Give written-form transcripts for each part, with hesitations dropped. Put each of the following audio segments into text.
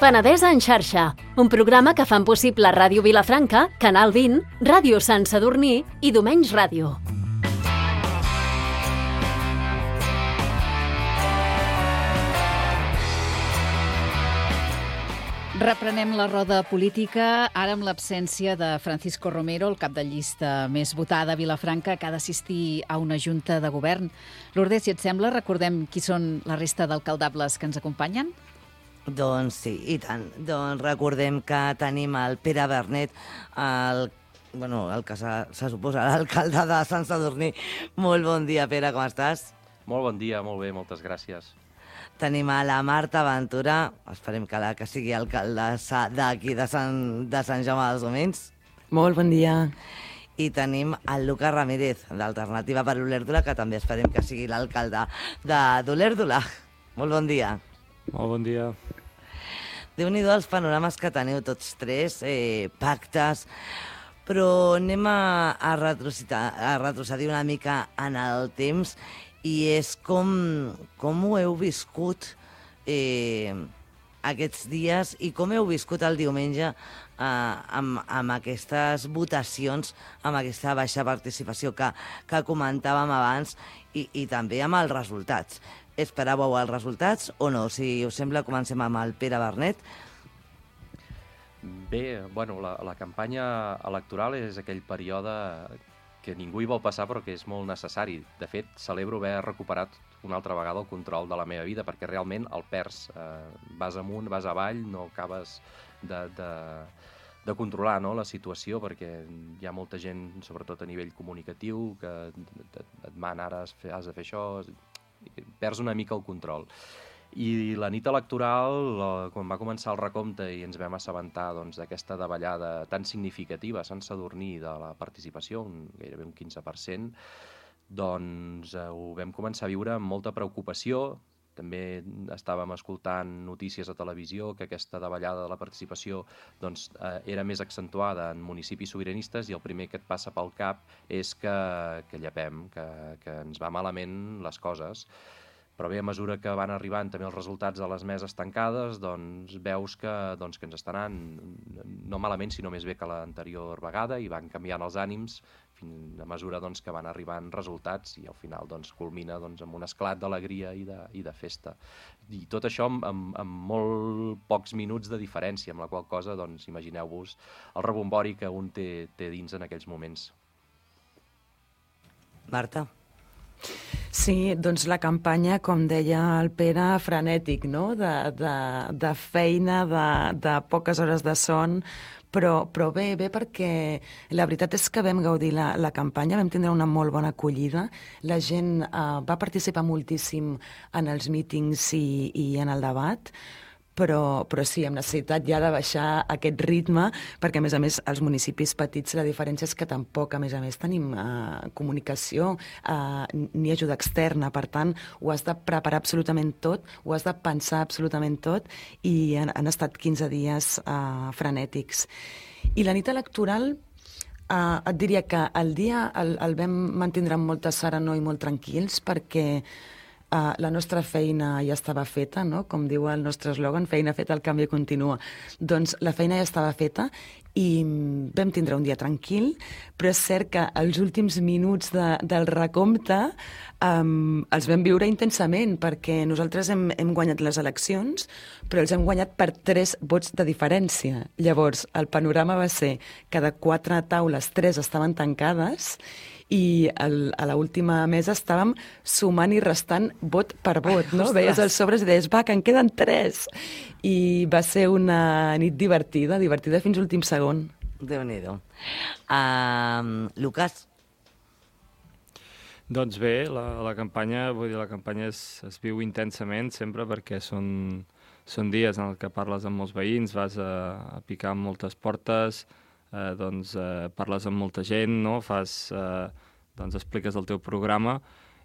Penedès en xarxa, un programa que fan possible Ràdio Vilafranca, Canal 20, Ràdio Sant Sadurní i Domenys Ràdio. Reprenem la roda política, ara amb l'absència de Francisco Romero, el cap de llista més votada a Vilafranca, que ha d'assistir a una junta de govern. Lourdes, si et sembla, recordem qui són la resta d'alcaldables que ens acompanyen? Doncs sí, i tant. Doncs recordem que tenim el Pere Bernet, el que se suposa l'alcalde de Sant Sadurní. Molt bon dia, Pere, com estàs? Molt bon dia, molt bé, moltes gràcies. Tenim a la Marta Ventura, esperem que sigui alcaldessa d'aquí de Sant Jaume dels Domenys. Molt bon dia. I tenim el Lucas Ramírez, d'Alternativa per Olèrdola, que també esperem que sigui l'alcalde d'Olèrdola. Molt bon dia. Molt bon dia. Déu-n'hi-do els panorames que teniu tots tres, pactes, però anem a retrocedir una mica en el temps, i és com ho heu viscut aquests dies i com heu viscut el diumenge amb aquestes votacions, amb aquesta baixa participació que comentàvem abans i també amb els resultats. Esperàveu els resultats o no? Si us sembla, comencem amb el Pere Bernet. Bé, bueno, la campanya electoral és aquell període que ningú hi vol passar però que és molt necessari. De fet, celebro haver recuperat una altra vegada el control de la meva vida, perquè realment el perds. Vas amunt, vas avall, no acabes de controlar, no, la situació, perquè hi ha molta gent, sobretot a nivell comunicatiu, que et demana ara has de fer això, perds una mica el control. I la nit electoral, quan va començar el recompte i ens vam assabentar d'aquesta davallada tan significativa a Sant Sadurní de la participació, gairebé un 15%, doncs ho vam començar a viure amb molta preocupació. També estàvem escoltant notícies a televisió que aquesta davallada de la participació era més accentuada en municipis sobiranistes, i el primer que et passa pel cap és que llepem, que ens va malament les coses. Però bé, a mesura que van arribant també els resultats de les meses tancades, doncs veus que ens està anant no malament, sinó més bé que l'anterior vegada, i van canviant els ànims a mesura que van arribant resultats, i al final culmina amb un esclat d'alegria i de festa. I tot això amb molt pocs minuts de diferència, amb la qual cosa imagineu-vos el rebombori que un té dins en aquells moments. Marta? Sí, doncs la campanya, com deia el Pere, frenètic, no? De feina, de poques hores de son, però bé perquè la veritat és que vam gaudir la campanya, vam tindre una molt bona acollida, la gent va participar moltíssim en els mítings i en el debat, però sí, hem necessitat ja de baixar aquest ritme, perquè a més els municipis petits la diferència és que tampoc a més tenim comunicació ni ajuda externa, per tant ho has de preparar absolutament tot, ho has de pensar absolutament tot, i han estat 15 dies frenètics. I la nit electoral et diria que el dia el vam mantindre amb molta serenor i molt tranquils, perquè la nostra feina ja estava feta, no? Com diu el nostre eslògan, feina feta, el canvi continua. Doncs la feina ja estava feta i vam tindre un dia tranquil, però és cert que els últims minuts del recompte els vam viure intensament, perquè nosaltres hem guanyat les eleccions, però els hem guanyat per 3 vots de diferència. Llavors, el panorama va ser que de 4 taules, 3 estaven tancades, i a l'última mesa estàvem sumant i restant vot per vot, no? Ostres. Veies els sobres i deies, va, que en queden 3. I va ser una nit divertida fins a l'últim segon. Déu-n'hi-do. Lucas? Doncs bé, la campanya es viu intensament sempre, perquè són dies en què parles amb molts veïns, vas a picar amb moltes portes, parles amb molta gent, no? Expliques el teu programa,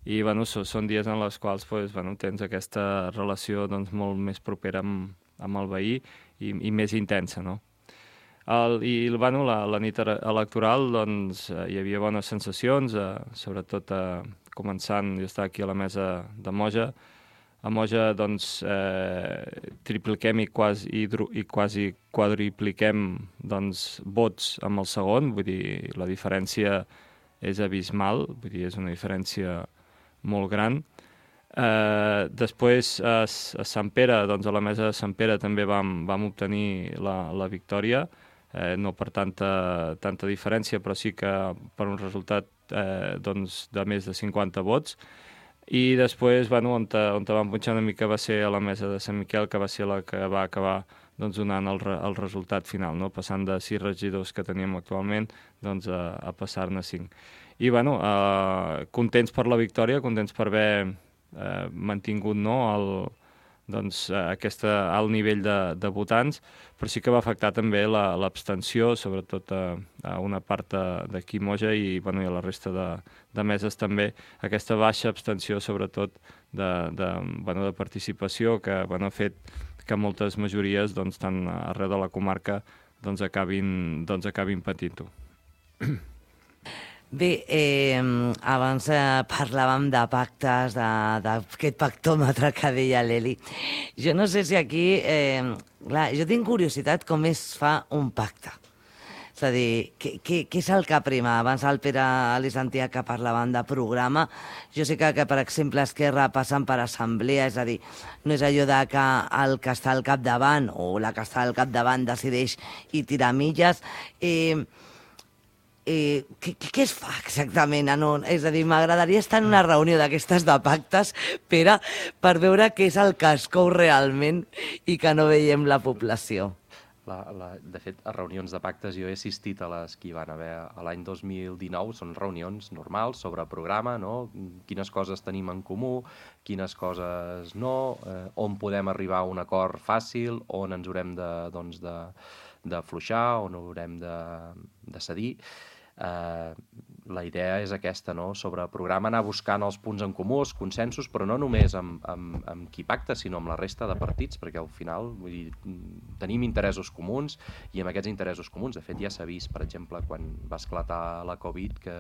i són dies en els quals tens aquesta relació molt més propera amb el veí i més intensa, no? La nit electoral hi havia bones sensacions, sobretot començant, jo estava aquí a la mesa de Moja, a Moja doncs, tripliquem i quasi quadripliquem doncs, vots amb el segon, vull dir, la diferència és abismal, vull dir, és una diferència molt gran. Després a Sant Pere, doncs a la mesa de Sant Pere també vam obtenir la victòria, no per tanta diferència, però sí que per un resultat doncs, de més de 50 vots. I després, bueno, on vam punxar una mica va ser a la mesa de Sant Miquel, que va ser la que va acabar doncs, donant el resultat final, no? Passant de 6 regidors que teníem actualment doncs, a passar-ne 5. I bueno, contents per la victòria, contents per haver mantingut aquest alt nivell de votants, però sí que va afectar també l'abstenció, sobretot a una part d'aquí Moja i a la resta de meses també, aquesta baixa abstenció sobretot de participació que ha fet que moltes majories, doncs, tant arreu de la comarca, doncs, acabin patint-ho. Bé, abans parlàvem de pactes, d'aquest pactòmetre que deia l'Eli. Jo no sé si aquí... clar, jo tinc curiositat com es fa un pacte. És a dir, què és el que prima? Abans el Pere li sentia que parlaven de programa. Jo sé que per exemple, Esquerra passen per assemblea, és a dir, no és allò de que el que està al capdavant o la que està al capdavant decideix i tira milles. Què es fa exactament? És a dir, m'agradaria estar en una reunió d'aquestes de pactes, Pere, per veure què és el que es cou realment i que no veiem la població. De fet, a reunions de pactes jo he assistit a les que hi van haver l'any 2019, són reunions normals sobre programa, no? Quines coses tenim en comú, quines coses no, on podem arribar a un acord fàcil, on ens haurem d'afluixar, on haurem de cedir. La idea és aquesta, no? Sobre programa anar buscant els punts en comú, els consensos, però no només amb qui pacta, sinó amb la resta de partits, perquè al final tenim interessos comuns i amb aquests interessos comuns, de fet ja s'ha vist, per exemple, quan va esclatar la Covid, que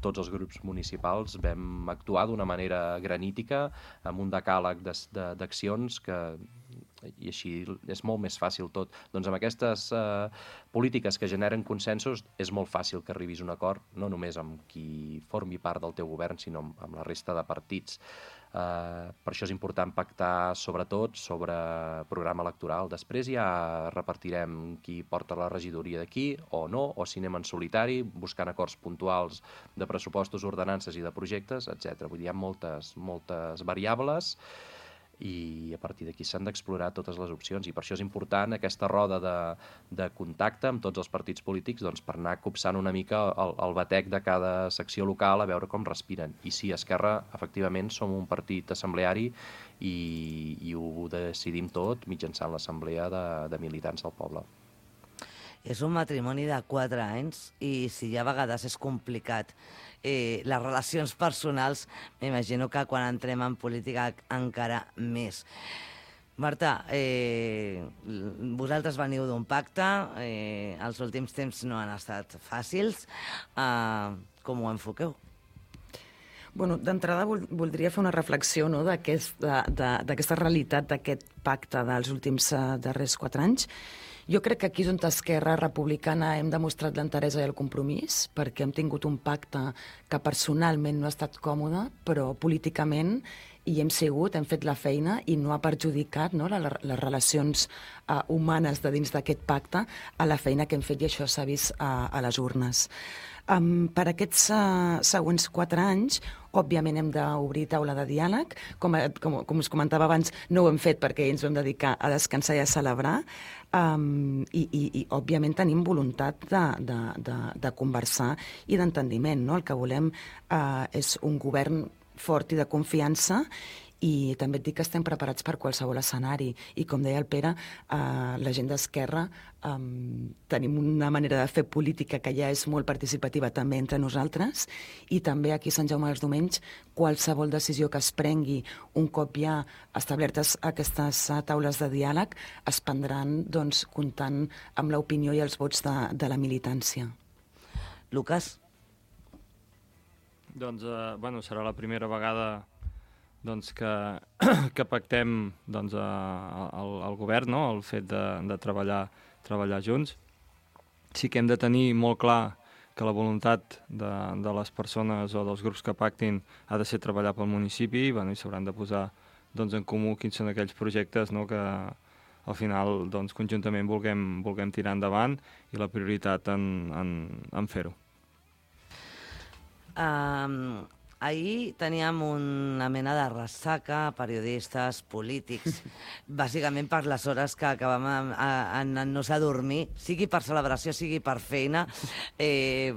tots els grups municipals vam actuar d'una manera granítica, amb un decàleg d'accions i així és molt més fàcil tot. Doncs amb aquestes polítiques que generen consensos és molt fàcil que arribis a un acord, no només amb qui formi part del teu govern, sinó amb la resta de partits. Per això és important pactar sobretot sobre programa electoral. Després ja repartirem qui porta la regidoria d'aquí o no, o si anem en solitari, buscant acords puntuals de pressupostos, ordenances i de projectes, etc. Vull dir, hi ha moltes variables i a partir d'aquí s'han d'explorar totes les opcions i per això és important aquesta roda de contacte amb tots els partits polítics doncs, per anar copsant una mica el batec de cada secció local a veure com respiren. I sí, Esquerra, efectivament, som un partit assembleari i ho decidim tot mitjançant l'assemblea de militants del poble. És un matrimoni de 4 anys i si ja a vegades és complicat les relacions personals, m'imagino que quan entrem en política encara més. Marta, vosaltres veniu d'un pacte, els últims temps no han estat fàcils. Com ho enfoqueu? Bueno, d'entrada voldria fer una reflexió, no, d'aquesta realitat d'aquest pacte dels últims darrers 4 anys. Jo crec que aquí és on Esquerra Republicana hem demostrat l'enteresa i el compromís, perquè hem tingut un pacte que personalment no ha estat còmode, però políticament hi hem sigut, hem fet la feina i no ha perjudicat, no, les relacions humanes de dins d'aquest pacte a la feina que hem fet i això s'ha vist a les urnes. Per aquests següents 4 anys, òbviament hem d'obrir taula de diàleg. Com us comentava abans, no ho hem fet perquè ens vam dedicar a descansar i a celebrar. I òbviament tenim voluntat de conversar i d'entendiment, no? El que volem és un govern fort i de confiança i també et dic que estem preparats per qualsevol escenari. I com deia el Pere, la gent d'Esquerra tenim una manera de fer política que ja és molt participativa també entre nosaltres i també aquí a Sant Jaume dels Domenys qualsevol decisió que es prengui un cop ja establertes aquestes taules de diàleg es prendran doncs, comptant amb l'opinió i els vots de la militància. Lucas? Doncs, serà la primera vegada doncs, que pactem doncs, al govern, no? El fet de treballar junts. Sí que hem de tenir molt clar que la voluntat de les persones o dels grups que pactin ha de ser treballar pel municipi i s'hauran de posar doncs, en comú quins són aquells projectes, no? Que al final doncs, conjuntament vulguem tirar endavant i la prioritat en fer-ho. Ahir teníem una mena de ressaca, periodistes, polítics, bàsicament per les hores que acabàvem en no dormir, sigui per celebració, sigui per feina,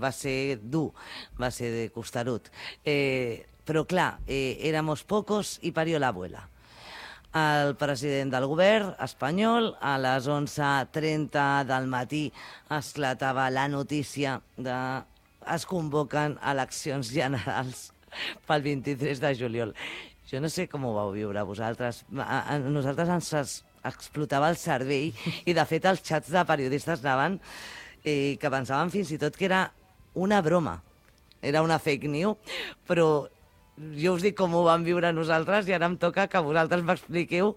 va ser dur, va ser costerut. Però clar, éramos pocos y parió la abuela. El president del govern espanyol, a les 11:30 del matí, esclatava la notícia de es convoquen eleccions generals pel 23 de juliol. Jo no sé com ho vau viure vosaltres. A nosaltres ens explotava el cervell i, de fet, els xats de periodistes anaven que pensaven fins i tot que era una broma. Era una fake news, però jo us dic com ho vam viure nosaltres i ara em toca que vosaltres m'expliqueu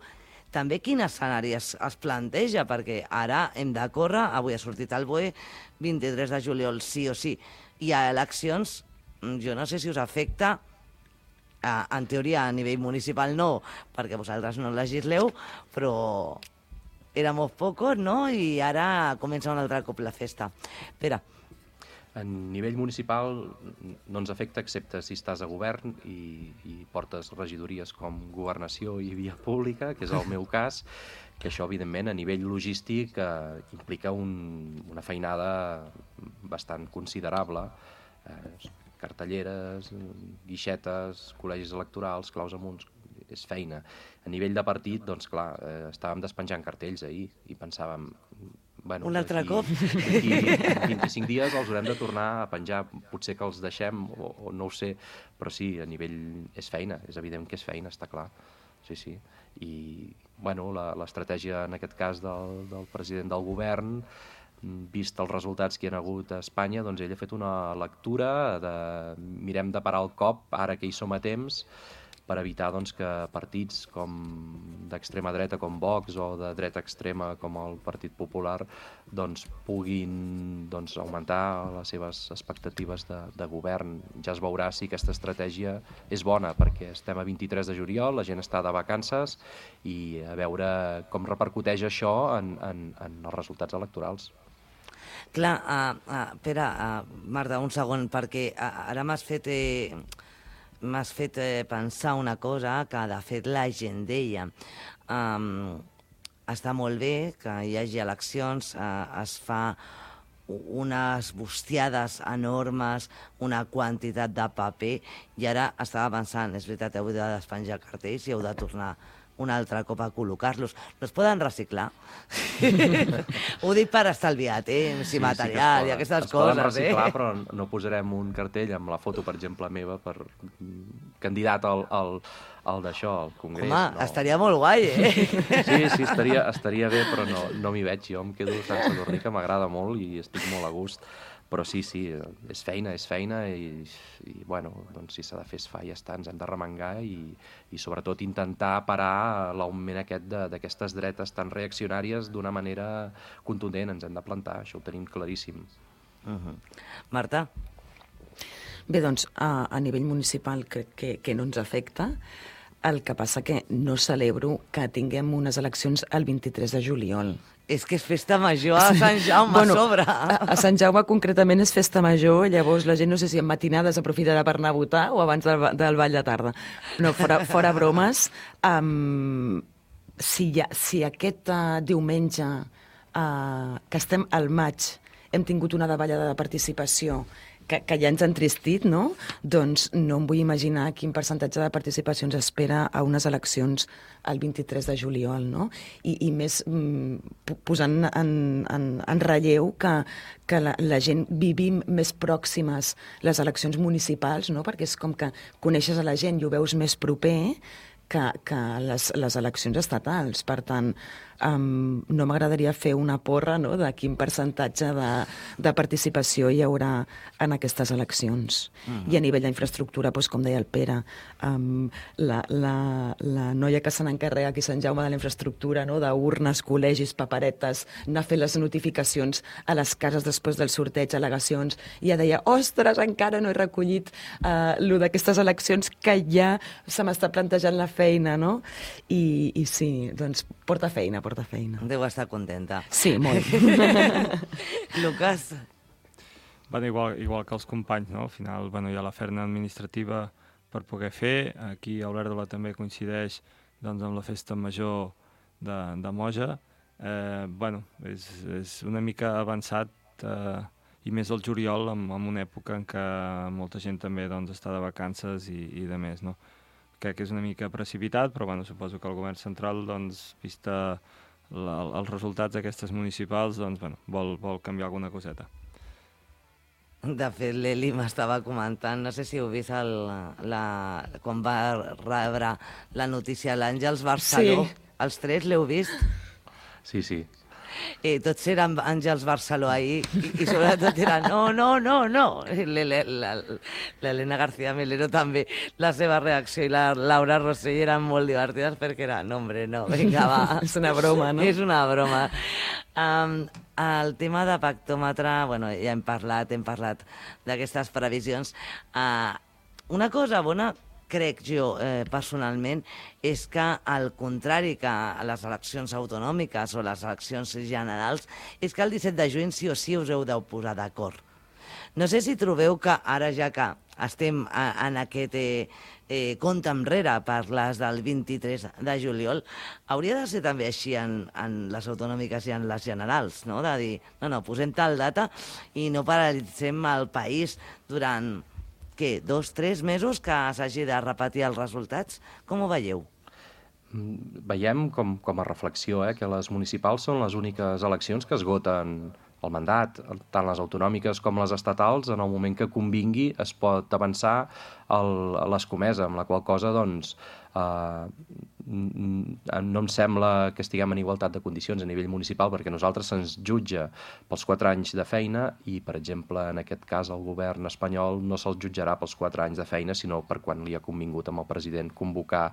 també quin escenari es planteja, perquè ara hem de córrer, avui ha sortit el BOE, 23 de juliol sí o sí. I a eleccions, jo no sé si us afecta, en teoria a nivell municipal no, perquè vosaltres no legisleu, però éramos pocos, no? I ara comença un altre cop la festa. Pere. A nivell municipal no ens afecta, excepte si estàs a govern i portes regidories com governació i via pública, que és el meu cas, que això, evidentment, a nivell logístic implica una feinada bastant considerable. Cartelleres, guixetes, col·legis electorals, claus amunt, és feina. A nivell de partit, doncs clar, estàvem despenjant cartells ahir i pensàvem... Bueno, un altre cop? D'aquí 25 dies els haurem de tornar a penjar. Potser que els deixem, o no ho sé, però sí, a nivell és feina, és evident que és feina, està clar. Sí. I, bueno, l'estratègia, en aquest cas, del president del govern, vist els resultats que hi ha hagut a Espanya, doncs ell ha fet una lectura de mirem de parar el cop, ara que hi som a temps, per evitar doncs, que partits com d'extrema dreta com Vox o de dreta extrema com el Partit Popular doncs, puguin doncs, augmentar les seves expectatives de govern. Ja es veurà si aquesta estratègia és bona, perquè estem a 23 de juliol, la gent està de vacances i a veure com repercuteix això en els resultats electorals. Clar, Pere, Marta, un segon, perquè ara m'has fet pensar una cosa que, de fet, la gent deia. Està molt bé que hi hagi eleccions, es fa unes bustiades enormes, una quantitat de paper, i ara estava pensant, és veritat, heu de despenjar cartells i heu de tornar un altre cop a col·locar-los. No es poden reciclar? Ho dic per estalviar temps i material i aquestes coses. Es poden reciclar, però no posarem un cartell amb la foto, per exemple, meva, per candidat al d'això, al Congrés. Home, no. Estaria molt guai, Sí, estaria bé, però no m'hi veig. Jo em quedo a Sant Sadurní, que m'agrada molt i estic molt a gust. Però sí, és feina i bueno, doncs si s'ha de fer es fa i ja està, ens hem de remengar i sobretot intentar parar l'augment aquest d'aquestes dretes tan reaccionàries d'una manera contundent, ens hem de plantar, això ho tenim claríssim. Marta? Bé, doncs, a nivell municipal crec que no ens afecta. El que passa que no celebro que tinguem unes eleccions el 23 de juliol. És que és festa major a Sant Jaume, a sobre. A Sant Jaume concretament és festa major, llavors la gent no sé si en matinades aprofitarà per anar a votar o abans del ball de tarda. No, fora bromes, si aquest diumenge, que estem al maig, hem tingut una davallada de participació que ja ens ha entristit, no? Doncs no em vull imaginar quin percentatge de participació ens espera a unes eleccions el 23 de juliol, no? I més posant en relleu que la gent vivim més pròximes les eleccions municipals, no? Perquè és com que coneixes a la gent i ho veus més proper que les eleccions estatals. Per tant, no m'agradaria fer una porra, no?, de quin percentatge de participació hi haurà en aquestes eleccions. I a nivell d'infraestructura, doncs, com deia el Pere, la noia que se n'encarrega aquí a Sant Jaume de la infraestructura, no?, d'urnes, col·legis, paperetes, anar a fer les notificacions a les cases després del sorteig, al·legacions, i ja deia, ostres, encara no he recollit lo d'aquestes eleccions que ja se m'està plantejant la feina, no? I sí, doncs porta feina. Deu estar contenta. Sí, molt. Lucas? Bueno, igual que els companys, no? Al final, bueno, hi ha la feina administrativa per poder fer. Aquí a Olèrdola també coincideix, doncs, amb la festa major de Moja. Bueno, és una mica avançat, i més al juliol, en una època en què molta gent també, doncs, està de vacances i de més, no? Crec que és una mica precipitat, però bueno, suposo que el govern central, doncs, vista els resultats d'aquestes municipals, doncs, bueno, vol canviar alguna coseta. De fet, l'Eli m'estava comentant, no sé si heu vist quan va rebre la notícia l'Àngels Barceló. Sí. Els tres l'heu vist? Sí. Tots eren Àngels Barceló ahir i sobretot era no. L'Helena García Melero també, la seva reacció i la Laura Rossell eren molt divertides perquè era, no, vinga, va. És una broma, no? És una broma. El tema de pactòmetre, bueno, ja hem parlat d'aquestes previsions. Una cosa bona, crec jo, personalment, és que, al contrari que a les eleccions autonòmiques o les eleccions generals, és que el 17 de juny sí o sí us heu de posar d'acord. No sé si trobeu que ara, ja que estem en aquest compte enrere per les del 23 de juliol, hauria de ser també així en les autonòmiques i en les generals, no? De dir, no, posem tal data i no paralitzem el país durant, 2-3 mesos que s'hagi de repetir els resultats? Com ho veieu? Veiem com a reflexió que les municipals són les úniques eleccions que esgoten el mandat, tant les autonòmiques com les estatals, en el moment que convingui es pot avançar a l'escomesa, amb la qual cosa, doncs, no em sembla que estiguem en igualtat de condicions a nivell municipal, perquè nosaltres se'ns jutja pels 4 anys de feina i, per exemple, en aquest cas el govern espanyol no se'ls jutjarà pels 4 anys de feina, sinó per quan li ha convingut amb el president convocar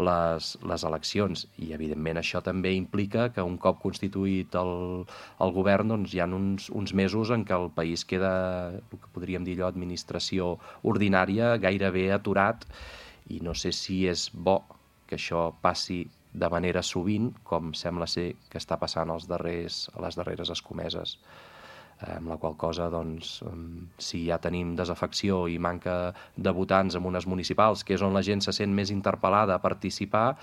les eleccions. I, evidentment, això també implica que un cop constituït el govern, doncs, hi ha uns mesos en què el país queda, el que podríem dir allò, administració ordinària, gairebé aturat, i no sé si és bo que això passi de manera sovint, com sembla ser que està passant a les darreres escomeses. Amb la qual cosa, doncs, si ja tenim desafecció i manca de votants en unes municipals, que és on la gent se sent més interpel·lada a participar,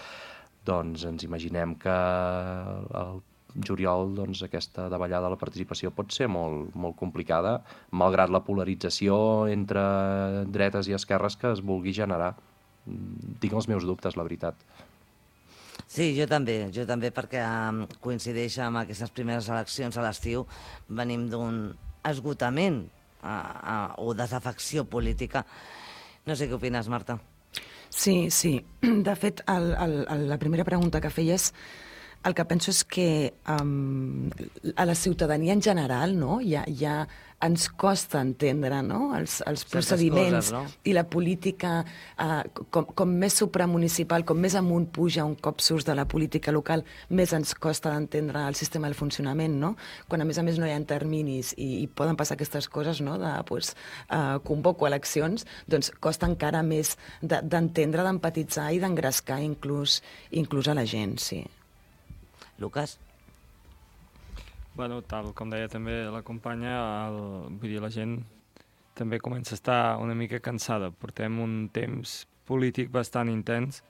doncs ens imaginem que el juliol, doncs, aquesta davallada de la participació pot ser molt, molt complicada, malgrat la polarització entre dretes i esquerres que es vulgui generar. Tinc els meus dubtes, la veritat. Sí, jo també, perquè coincideix amb aquestes primeres eleccions a l'estiu. Venim d'un esgotament o desafecció política. No sé què opines, Marta. Sí. De fet, la primera pregunta que feies, el que penso és que a la ciutadania en general, no, ja ens costa entendre, no, els procediments, no? I la política, com més supramunicipal, com més amunt puja un cop surts de la política local, més ens costa d'entendre el sistema del funcionament, no? Quan a més no hi ha terminis i poden passar aquestes coses, no, de convoco eleccions, doncs costa encara més d'entendre, d'empatitzar i d'engrescar inclús a la gent, sí. Lucas? Bueno, tal com deia també la companya, vull dir, la gent també comença a estar una mica cansada. Portem un temps polític bastant intens,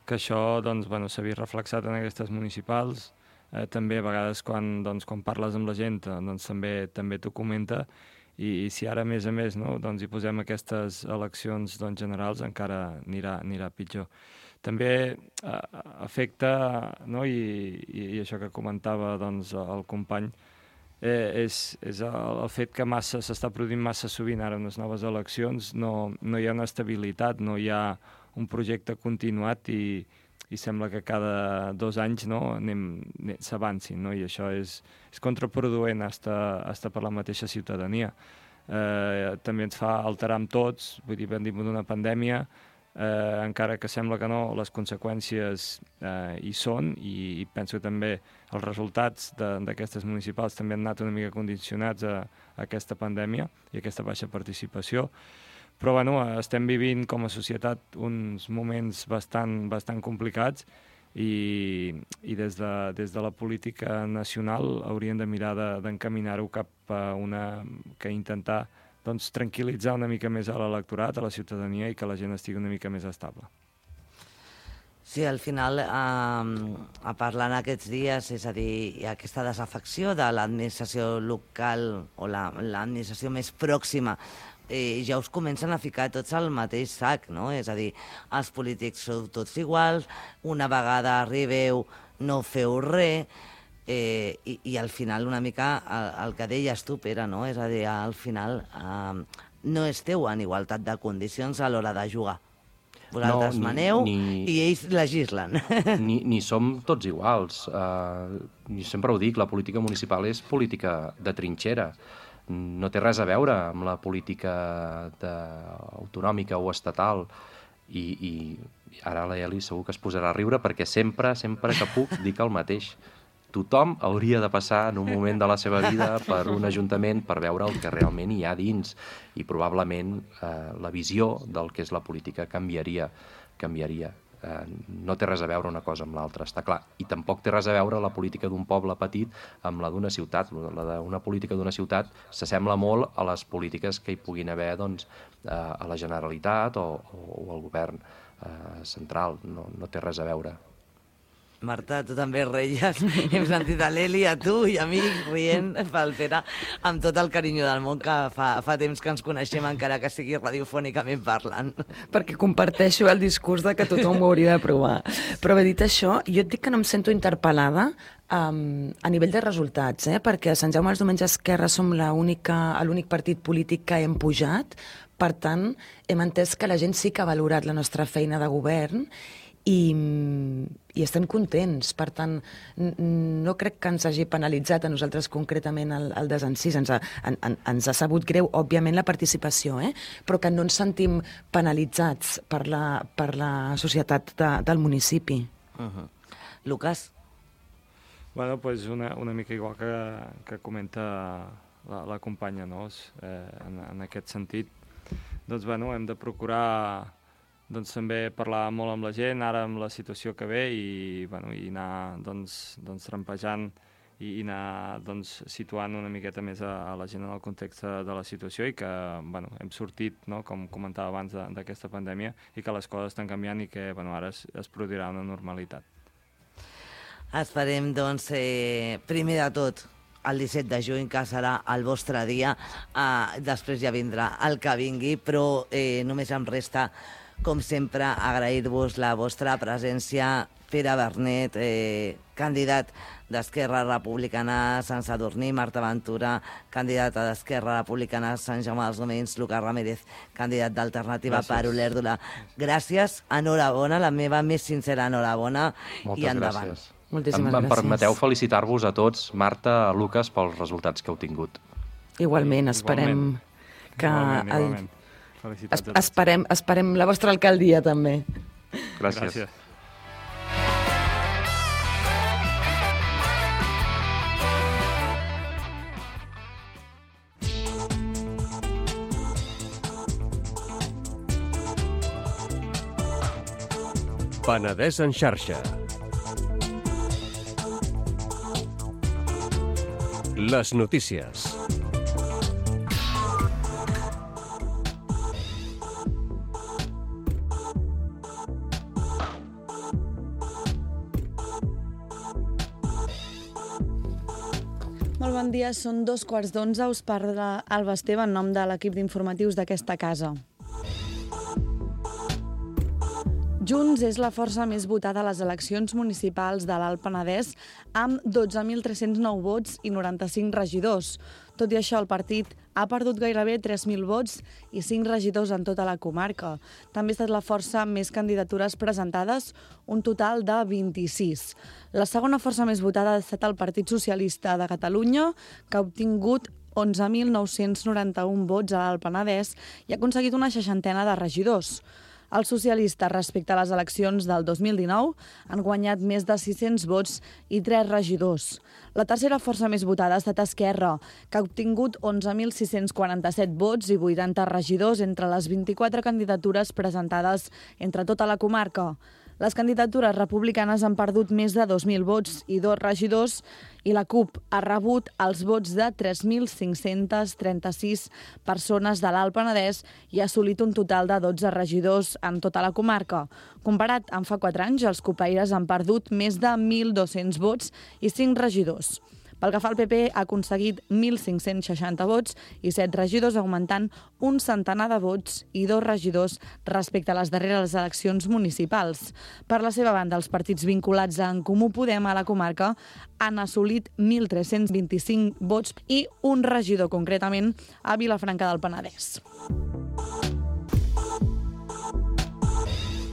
que això, doncs, bueno, s'ha vist reflexat en aquestes municipals. També a vegades quan parles amb la gent, doncs també t'ho comenta, i si ara a més, no, doncs hi posem aquestes eleccions, doncs, generals, encara anirà pitjor. També afecta, no, i això que comentava, doncs, el company, és el fet que s'està produint massa sovint ara en les noves eleccions, no hi ha una estabilitat, no hi ha un projecte continuat i i sembla que cada 2 anys s'avancin, no? I això és contraproduent hasta per la mateixa ciutadania. També ens fa alterar amb tots, vull dir, hem tingut una pandèmia, encara que sembla que no, les conseqüències hi són, i penso que també els resultats d'aquestes municipals també han anat una mica condicionats a aquesta pandèmia i a aquesta baixa participació. Però bueno, estem vivint com a societat uns moments bastant complicats i des de la política nacional hauríem de mirar d'encaminar-ho cap a que intentar tranquil·litzar una mica més a l'electorat, a la ciutadania, i que la gent estigui una mica més estable. Sí, al final, parlant aquests dies, és a dir, hi ha aquesta desafecció de l'administració local o l'administració més pròxima, ja us comencen a ficar tots al mateix sac, no? És a dir, els polítics sou tots iguals, una vegada arribeu no feu res, i al final una mica el que deies tu, Pere, no? És a dir, al final no esteu en igualtat de condicions a l'hora de jugar. Vosaltres maneu i ells legislen. Ni som tots iguals. Jo sempre ho dic, la política municipal és política de trinxera. No té res a veure amb la política autonòmica o estatal. I ara la Eli segur que es posarà a riure perquè sempre que puc dic el mateix. Tothom hauria de passar en un moment de la seva vida per un ajuntament per veure el que realment hi ha dins, i probablement la visió del que és la política canviaria. No té res a veure una cosa amb l'altra, està clar. I tampoc té res a veure la política d'un poble petit amb la d'una ciutat. La d'una política d'una ciutat s'assembla molt a les polítiques que hi puguin haver a la Generalitat o al govern central. No té res a veure. Marta, tu també reies. Hem sentit a l'Eli, a tu i a mi rient pel Pere amb tot el carinyo del món, que fa temps que ens coneixem, encara que sigui radiofònicament parlant. Perquè comparteixo el discurs de que tothom ho hauria de provar. Però bé, dit això, jo et dic que no em sento interpel·lada a nivell de resultats, perquè a Sant Jaume els Diumenges Esquerra som l'únic partit polític que hem pujat. Per tant, hem entès que la gent sí que ha valorat la nostra feina de govern i estem contents. Per tant, no crec que ens hagi penalitzat a nosaltres concretament el desencís. Ens ha sabut greu, òbviament, la participació, però que no ens sentim penalitzats per la societat del municipi. Lucas? Bueno, pues una mica igual que comenta la companya, no? En aquest sentit, doncs, bueno, hem de procurar també parlar molt amb la gent, ara amb la situació que ve, i anar trampejant i anar situant una miqueta més a la gent en el context de la situació, i que hem sortit, com comentava abans, d'aquesta pandèmia, i que les coses estan canviant i que ara es produirà una normalitat. Esperem, primer de tot, el 17 de juny, que serà el vostre dia. Després ja vindrà el que vingui, però només em resta, com sempre, agrair-vos la vostra presència. Pere Bernet, candidat d'Esquerra Republicana a Sant Sadurní, Marta Ventura, candidata d'Esquerra Republicana a Sant Jaume dels Domenys, Lucas Ramírez, candidat d'Alternativa per Olèrdola. Gràcies, enhorabona, la meva més sincera enhorabona. Moltes i endavant. Gràcies. Moltíssimes gràcies. Em permeteu felicitar-vos a tots, Marta, Lucas, pels resultats que heu tingut. Igualment, esperem que... Igualment. Felicitats a tots. Esperem la vostra alcaldia, també. Gràcies. Penedès en xarxa. Les notícies. Molt bon dia, són 11:15, us parla Alba Esteve en nom de l'equip d'informatius d'aquesta casa. Junts és la força més votada a les eleccions municipals de l'Alt Penedès, amb 12.309 vots i 95 regidors. Tot i això, el partit ha perdut gairebé 3.000 vots i 5 regidors en tota la comarca. També ha estat la força amb més candidatures presentades, un total de 26. La segona força més votada ha estat el Partit Socialista de Catalunya, que ha obtingut 11.991 vots a l'Alt Penedès i ha aconseguit una 60ena de regidors. Els socialistes, respecte a les eleccions del 2019, han guanyat més de 600 vots i 3 regidors. La tercera força més votada ha estat Esquerra, que ha obtingut 11.647 vots i 80 regidors entre les 24 candidatures presentades entre tota la comarca. Les candidatures republicanes han perdut més de 2.000 vots i 2 regidors i la CUP ha rebut els vots de 3.536 persones de l'Alt Penedès i ha assolit un total de 12 regidors en tota la comarca. Comparat amb fa 4 anys, els cupaires han perdut més de 1.200 vots i 5 regidors. Pel que fa al PP, ha aconseguit 1.560 vots i 7 regidors, augmentant un centenar de vots i 2 regidors respecte a les darreres eleccions municipals. Per la seva banda, els partits vinculats a En Comú Podem a la comarca han assolit 1.325 vots i un regidor, concretament, a Vilafranca del Penedès.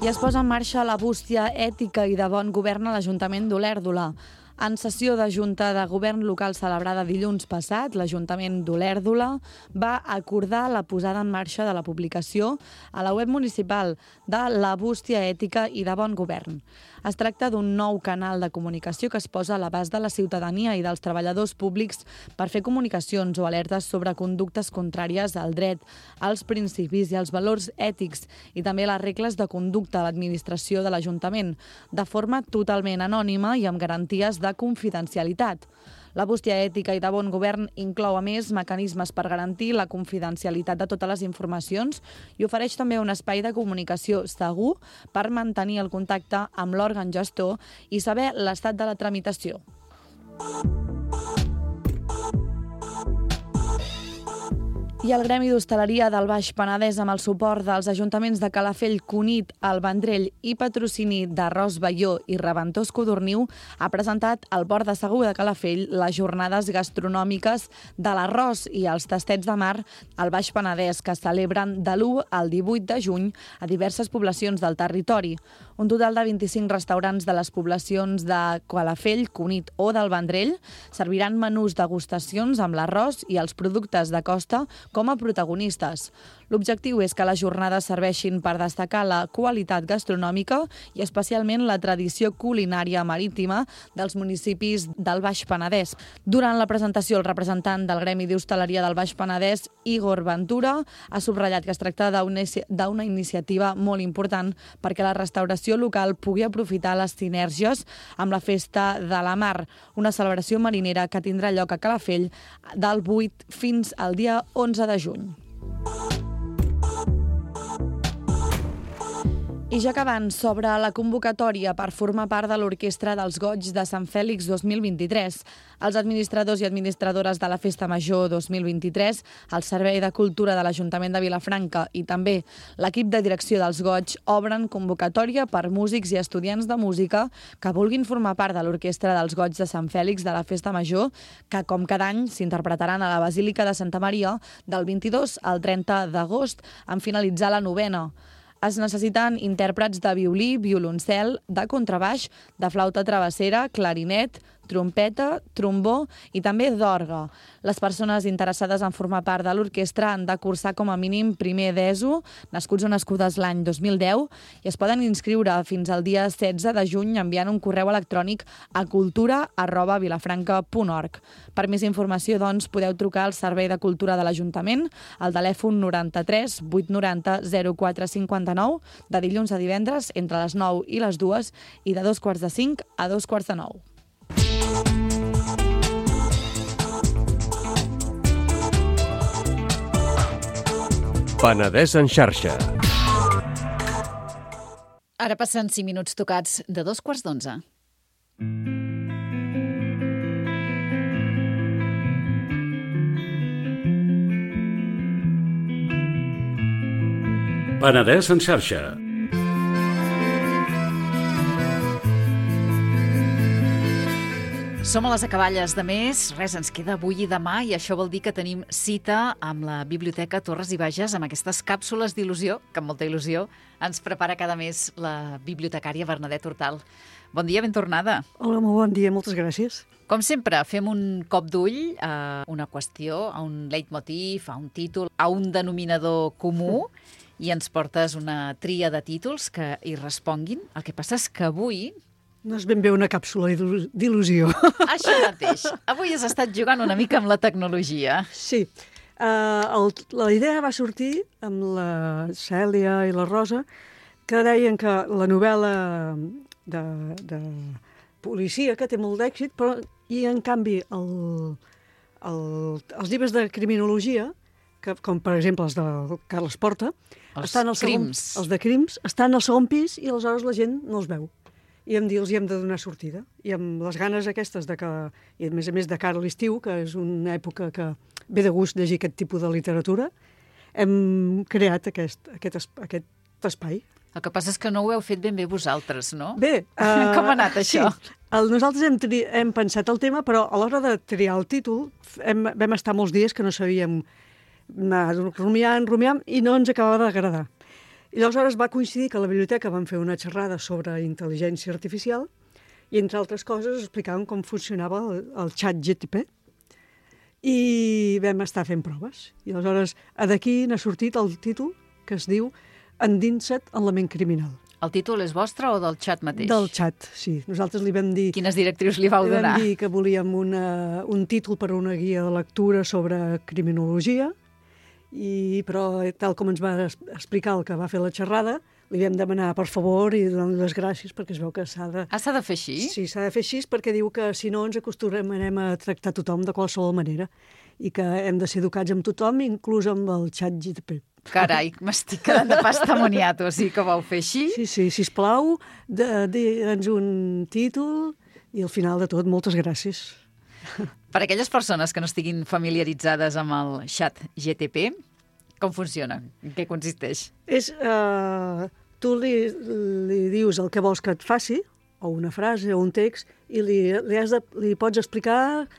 I es posa en marxa la bústia ètica i de bon govern a l'Ajuntament d'Olèrdola. En sessió de Junta de Govern Local celebrada dilluns passat, l'Ajuntament d'Olèrdola va acordar la posada en marxa de la publicació a la web municipal de la bústia ètica i de bon govern. Es tracta d'un nou canal de comunicació que es posa a l'abast de la ciutadania i dels treballadors públics per fer comunicacions o alertes sobre conductes contràries al dret, als principis i als valors ètics i també les regles de conducta a l'administració de l'Ajuntament, de forma totalment anònima i amb garanties de confidencialitat. La bústia ètica i de bon govern inclou, a més, mecanismes per garantir la confidencialitat de totes les informacions i ofereix també un espai de comunicació segur per mantenir el contacte amb l'òrgan gestor i saber l'estat de la tramitació. I el Gremi d'Hostaleria del Baix Penedès, amb el suport dels ajuntaments de Calafell, Cunit, el Vendrell i patrocini d'Arròs Baió i Reventós Codorniu, ha presentat al Port de Segur de Calafell les jornades gastronòmiques de l'arròs i els tastets de mar al Baix Penedès, que es celebren de l'1 al 18 de juny a diverses poblacions del territori. Un total de 25 restaurants de les poblacions de Calafell, Cunit o del Vendrell serviran menús degustacions amb l'arròs i els productes de costa com a protagonistes. L'objectiu és que les jornades serveixin per destacar la qualitat gastronòmica i especialment la tradició culinària marítima dels municipis del Baix Penedès. Durant la presentació, el representant del Gremi d'Hostaleria del Baix Penedès, Igor Ventura, ha subratllat que es tracta d'una iniciativa molt important perquè la restauració local pugui aprofitar les sinergies amb la Festa de la Mar, una celebració marinera que tindrà lloc a Calafell del 8 fins al dia 11 de juny. I ja acabant, sobre la convocatòria per formar part de l'Orquestra dels Goig de Sant Fèlix 2023. Els administradors i administradores de la Festa Major 2023, el Servei de Cultura de l'Ajuntament de Vilafranca i també l'equip de direcció dels Goig obren convocatòria per músics i estudiants de música que vulguin formar part de l'Orquestra dels Goig de Sant Fèlix de la Festa Major, que com cada any s'interpretaran a la Basílica de Santa Maria del 22 al 30 d'agost en finalitzar la novena. Es necessiten intèrprets de violí, violoncel, de contrabaix, de flauta travessera, clarinet, trompeta, trombó i també d'orgue. Les persones interessades en formar part de l'orquestra han de cursar com a mínim primer d'ESO, nascuts o nascudes l'any 2010, i es poden inscriure fins al dia 16 de juny enviant un correu electrònic a cultura@vilafranca.org. Per més informació, doncs, podeu trucar al Servei de Cultura de l'Ajuntament al telèfon 93 890 0459 de dilluns a divendres entre les 9 i les 2 i de 2:45 a 2:45. Penedès en xarxa. Ara passen 5 minuts tocats de 2:15. Penedès en xarxa. Som a les acaballes de mes, res, ens queda avui i demà i això vol dir que tenim cita amb la Biblioteca Torres i Bages amb aquestes càpsules d'il·lusió, que amb molta il·lusió ens prepara cada mes la bibliotecària Bernadette Hortal. Bon dia, ben tornada. Hola, molt bon dia, moltes gràcies. Com sempre, fem un cop d'ull a una qüestió, a un leitmotiv, a un títol, a un denominador comú i ens portes una tria de títols que hi responguin. El que passa és que avui... No és ben bé una càpsula d'il·lusió. Això mateix. Avui has estat jugant una mica amb la tecnologia. Sí. La idea va sortir amb la Cèlia i la Rosa, que deien que la novel·la de policia, que té molt d'èxit, però i en canvi els llibres de criminologia, que, com per exemple els de Carles Porta, estan al segon, els de crims, estan al segon pis i aleshores la gent no els veu. I els hem de donar sortida. I amb les ganes aquestes de que, i a més de cara a l'estiu, que és una època que ve de gust llegir aquest tipus de literatura, hem creat aquest espai. El que passa és que no ho heu fet ben bé vosaltres, no? Bé. Com ha anat això? Sí. Nosaltres hem pensat el tema, però a l'hora de triar el títol vam estar molts dies que no sabíem anar rumiant, i no ens acabava d'agradar. I aleshores va coincidir que a la biblioteca van fer una xerrada sobre intel·ligència artificial i, entre altres coses, explicaven com funcionava el xat GTP i vam estar fent proves. I aleshores d'aquí n'ha sortit el títol que es diu Endinsa't en la ment criminal. El títol és vostre o del xat mateix? Del xat, sí. Nosaltres li vam dir... Quines directrius li vau donar? Li vam dir que volíem un títol per a una guia de lectura sobre criminologia, però tal com ens va explicar el que va fer la xerrada, li vam demanar per favor i donar les gràcies perquè es veu que s'ha de... S'ha de fer així? Sí, s'ha de fer així perquè diu que si no ens acostumarem a tractar tothom de qualsevol manera i que hem de ser educats amb tothom, inclús amb el xat GTP. Carai, m'estic quedant de pastamoniat, o sigui que ho vau fer així? Sí, sisplau, digue'ns un títol i al final de tot, moltes gràcies. Per a aquelles persones que no estiguin familiaritzades amb el xat GTP, com funciona? En què consisteix? Tu li dius el que vols que et faci, o una frase o un text, i li pots explicar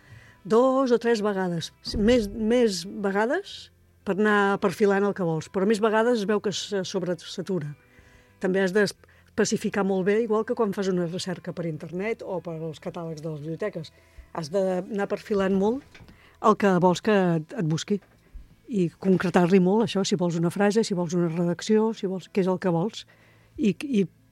2 o 3 vegades. Més vegades per anar perfilant el que vols, però més vegades es veu que se sobresatura. També has d'especificar molt bé, igual que quan fas una recerca per internet o per als catàlegs de les biblioteques. Has d'anar perfilant molt el que vols que et busqui i concretar-li molt això, si vols una frase, si vols una redacció, si vols què és el que vols i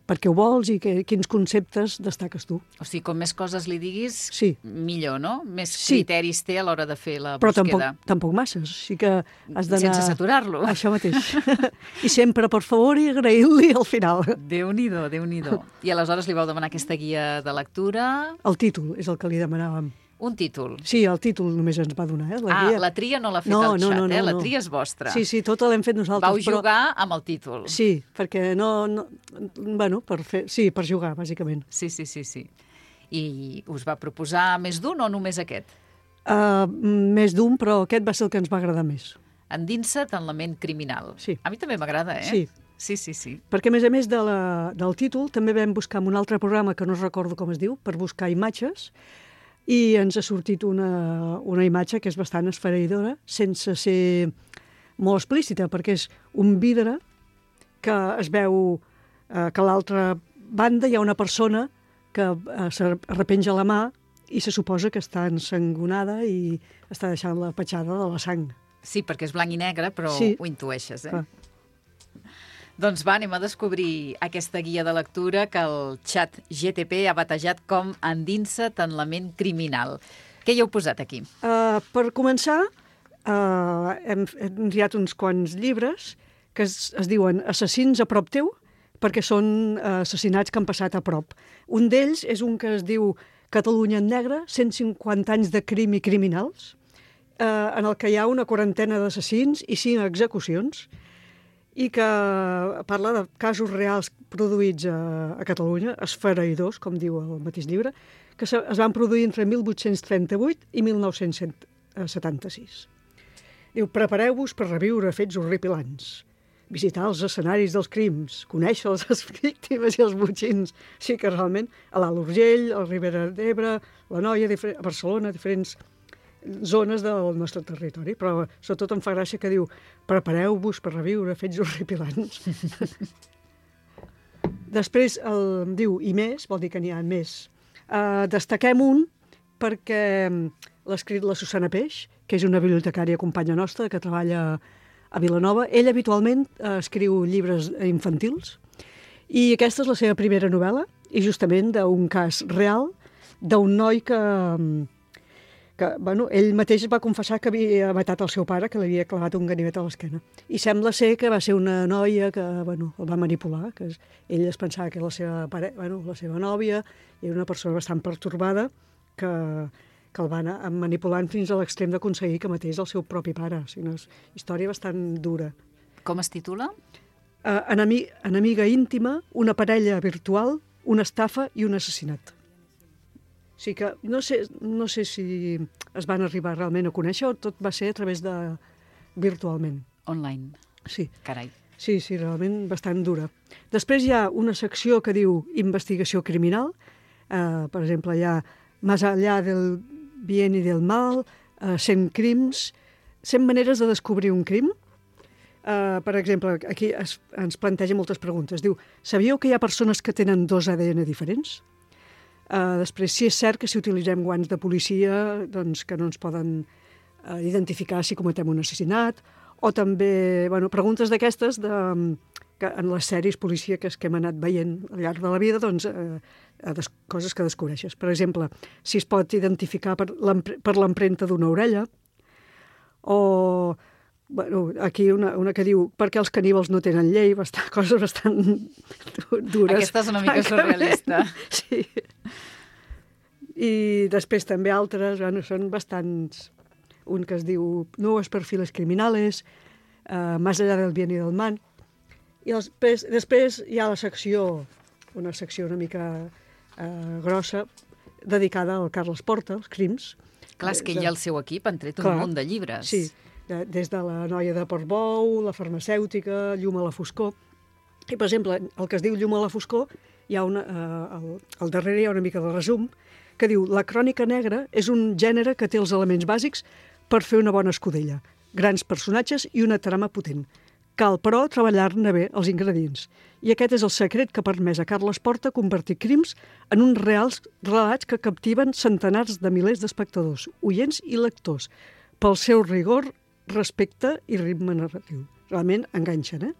per què ho vols i quins conceptes destaques tu. O sigui, com més coses li diguis, sí, millor, no? Més criteris té a l'hora de fer la però búsqueda. Però tampoc masses, sí que has d'anar... Sense saturar-lo. Això mateix. I sempre, per favor, i agrair-li al final. Déu-n'hi-do, Déu-n'hi-do. I aleshores li vau demanar aquesta guia de lectura... El títol és el que li demanàvem. Un títol? Sí, el títol només ens va donar. Guia. La tria no l'ha fet el xat, no, la tria és vostra. Sí, tota l'hem fet nosaltres. Vau jugar amb el títol. Sí, perquè per jugar, bàsicament. Sí. I us va proposar més d'un o només aquest? Més d'un, però aquest va ser el que ens va agradar més. Endinsa't en la ment criminal. Sí. A mi també m'agrada, Sí. Sí. Perquè, a més del títol, també vam buscar en un altre programa que no recordo com es diu, per buscar imatges, i ens ha sortit una imatge que és bastant esfereïdora, sense ser molt explícita, perquè és un vidre que es veu que a l'altra banda hi ha una persona que s'arrepenja la mà i se suposa que està ensangonada i està deixant la petjada de la sang. Sí, perquè és blanc i negre, però sí, ho intueixes, Clar. Doncs va, anem a descobrir aquesta guia de lectura que el xat GTP ha batejat com Endinsa't en la ment criminal. Què hi heu posat aquí? Per començar, hem triat uns quants llibres que es diuen Assassins a prop teu, perquè són assassinats que han passat a prop. Un d'ells és un que es diu Catalunya en negre, 150 anys de crim i criminals, en el que hi ha una quarantena d'assassins i 5 execucions, i que parla de casos reals produïts a Catalunya, esfereïdors, com diu el mateix llibre, que es van produir entre 1838 i 1976. Diu, prepareu-vos per reviure fets horripilants. visitar els escenaris dels crims, conèixer les víctimes i els botxins. Sí que realment a l'Alt Urgell, a la Ribera d'Ebre, la Noia, a Barcelona, diferents zones del nostre territori. Però sobretot em fa gràcia que diu prepareu-vos per reviure fets horripilants. Després diu i més, vol dir que n'hi ha més. Destaquem un perquè l'ha escrit la Susana Peix, que és una bibliotecària companya nostra que treballa a Vilanova. Ell habitualment escriu llibres infantils i aquesta és la seva primera novel·la i justament d'un cas real d'un noi que ell mateix va confessar que havia matat el seu pare, que l'havia clavat un ganivet a l'esquena. I sembla ser que va ser una noia que el va manipular, que ell es pensava que era la seva nòvia, i era una persona bastant pertorbada que el va anar manipulant fins a l'extrem d'aconseguir que matés el seu propi pare. O sigui, una història bastant dura. Com es titula? Enemiga íntima, una parella virtual, una estafa i un assassinat. O sigui que no sé si es van arribar realment a conèixer o tot va ser a través de virtualment. Online. Sí. Carai. Sí, realment bastant dura. Després hi ha una secció que diu investigació criminal. Per exemple, hi ha Más allá del bien y del mal, 100 crims, 100 maneres de descobrir un crim. Per exemple, aquí ens planteja moltes preguntes. Diu, sabíeu que hi ha persones que tenen 2 ADN diferents? Després, si és cert que si utilitzem guants de policia doncs que no ens poden identificar si cometem un assassinat, o també preguntes d'aquestes que en les sèries policíaques que hem anat veient al llarg de la vida, doncs, coses que descobreixes. Per exemple, si es pot identificar per l'empremta d'una orella, o aquí una que diu per què els caníbals no tenen llei, coses bastant dures. Aquesta és una mica surrealista. Sí. I després també altres, són bastants. Un que es diu Nuevos perfiles criminales, Más allá del bien y del mal. I després hi ha una secció una mica grossa, dedicada al Carles Porta, als crims. Clar, és que ell i el seu equip han tret un munt de llibres. Sí, des de la noia de Portbou, la farmacèutica, Llum a la foscor. I, per exemple, el que es diu Llum a la foscor, hi ha al darrere hi ha una mica de resum, que diu la crònica negra és un gènere que té els elements bàsics per fer una bona escudella, grans personatges i una trama potent. Cal, però, treballar-ne bé els ingredients. I aquest és el secret que ha permès a Carles Porta convertir crims en uns reals relats que captiven centenars de milers d'espectadors, oients i lectors, pel seu rigor, respecte i ritme narratiu. Realment enganxen,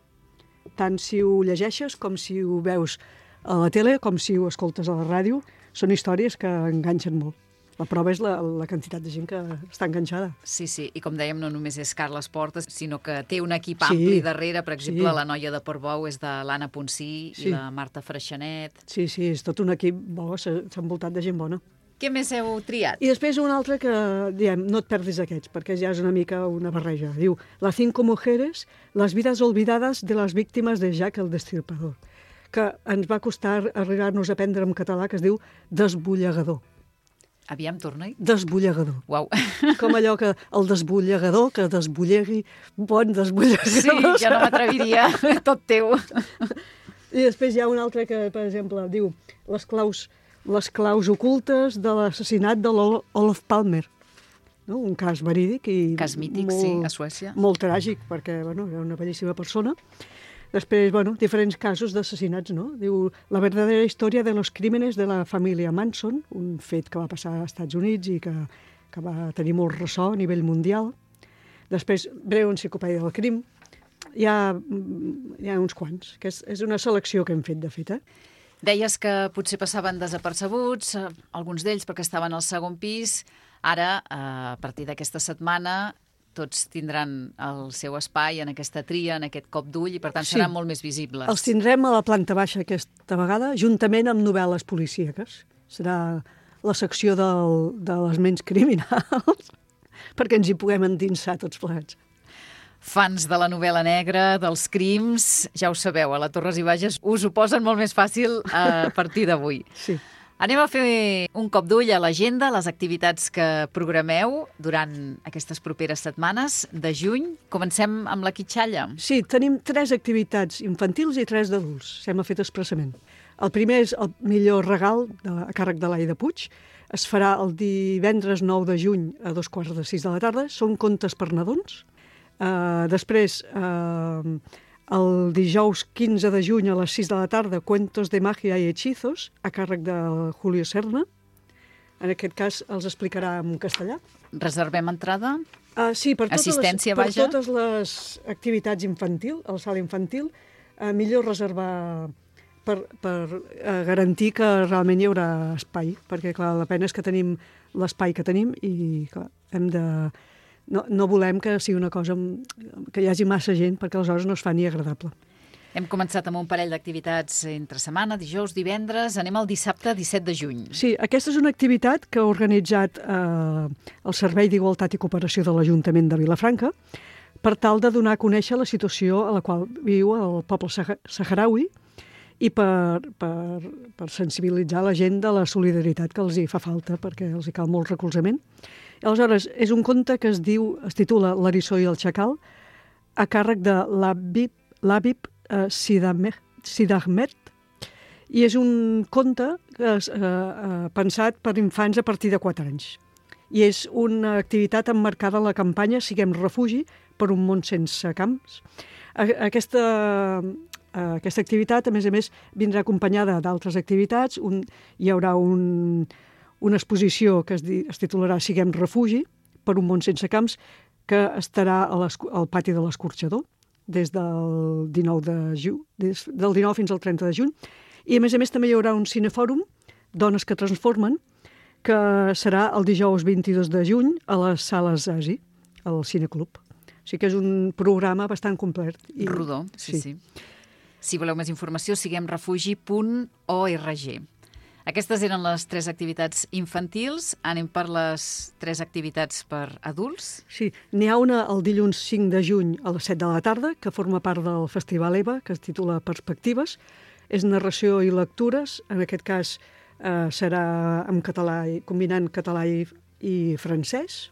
Tant si ho llegeixes com si ho veus a la tele, com si ho escoltes a la ràdio, són històries que enganxen molt. La prova és la quantitat de gent que està enganxada. Sí, i com dèiem, no només és Carles Porta, sinó que té un equip ampli darrere. Per exemple, la noia de Portbou és de l'Anna Ponsí i la Marta Freixanet. Sí, és tot un equip bo, s'ha envoltat de gent bona. Què més heu triat? I després un altre que, diem, no et perdis aquests, perquè ja és una mica una barreja. Diu, Las 5 mujeres, las vidas olvidadas de las víctimas de Jack el Destripador, que ens va costar arribar-nos a aprendre en català, que es diu Desbullegador. Aviam, torna-hi. Desbullegador. Uau. Com allò que el desbullegador, que desbullegui, bon desbullegador. Sí, ja no m'atreviria, tot teu. I després hi ha un altre que, per exemple, diu les claus ocultes de l'assassinat de l'Olof Palmer. No? Un cas verídic i cas mític, sí, a Suècia. Molt tràgic, perquè era una bellíssima persona. Després, diferents casos d'assassinats, no? Diu, la verdadera història de los crímenes de la família Manson, un fet que va passar als Estats Units i que va tenir molt ressò a nivell mundial. Després, breu enciclopèdia del crim. Hi ha uns quants, que és una selecció que hem fet, de fet, Deies que potser passaven desapercebuts, alguns d'ells perquè estaven al segon pis. Ara, a partir d'aquesta setmana, tots tindran el seu espai en aquesta tria, en aquest cop d'ull, i per tant seran molt més visibles. Els tindrem a la planta baixa aquesta vegada, juntament amb novel·les policíaques. Serà la secció de les ments criminals, perquè ens hi puguem endinsar tots plegats. Fans de la novel·la negra, dels crims, ja ho sabeu, a la Torres i Bages us ho posen molt més fàcil a partir d'avui. Sí. Anem a fer un cop d'ull a l'agenda, les activitats que programeu durant aquestes properes setmanes de juny. Comencem amb la quitxalla. Sí, tenim 3 activitats infantils i 3 d'adults. S'hem fet expressament. El primer és el millor regal a càrrec de l'Aida Puig. Es farà el divendres 9 de juny a 5:45 de la tarda. Són contes per nadons. Després, el dijous 15 de juny a les 6 de la tarda, Cuentos de magia i hechizos, a càrrec de Julio Serna. En aquest cas els explicarà en castellà. Reservem entrada? Sí, per Assistència, per vaja. totes les activitats infantil, a la sala infantil, millor reservar per garantir que realment hi haurà espai, perquè clar, la pena és que tenim l'espai que tenim i clar, hem de... No volem que sigui una cosa que hi hagi massa gent, perquè aleshores no es fa ni agradable. Hem començat amb un parell d'activitats entre setmana, dijous, divendres. Anem al dissabte 17 de juny. Sí, aquesta és una activitat que ha organitzat el Servei d'Igualtat i Cooperació de l'Ajuntament de Vilafranca per tal de donar a conèixer la situació a la qual viu el poble saharaui i per sensibilitzar la gent de la solidaritat que els hi fa falta, perquè els hi cal molt recolzament. Aleshores, és un conte que es titula L'Eriçó i el Xacal, a càrrec de l'Habib Sidahmed, i és un conte pensat per infants a partir de 4 anys. I és una activitat emmarcada en la campanya Siguem refugi per un món sense camps. Aquesta activitat, a més, vindrà acompanyada d'altres activitats. Hi haurà una exposició que es titularà Siguem refugi per un món sense camps, que estarà al pati de l'Escorxador des del 19 fins al 30 de juny. I, a més, també hi haurà un cinefòrum, Dones que transformen, que serà el dijous 22 de juny a les sales Asi, al Cineclub. O sigui que és un programa bastant complet. Rodó, sí. Si voleu més informació, siguemrefugi.org. Aquestes eren les 3 activitats infantils. Anem per les 3 activitats per adults. Sí, n'hi ha una el dilluns 5 de juny a les 7 de la tarda, que forma part del Festival EVA, que es titula Perspectives. És narració i lectures. En aquest cas serà en català, combinant català i francès.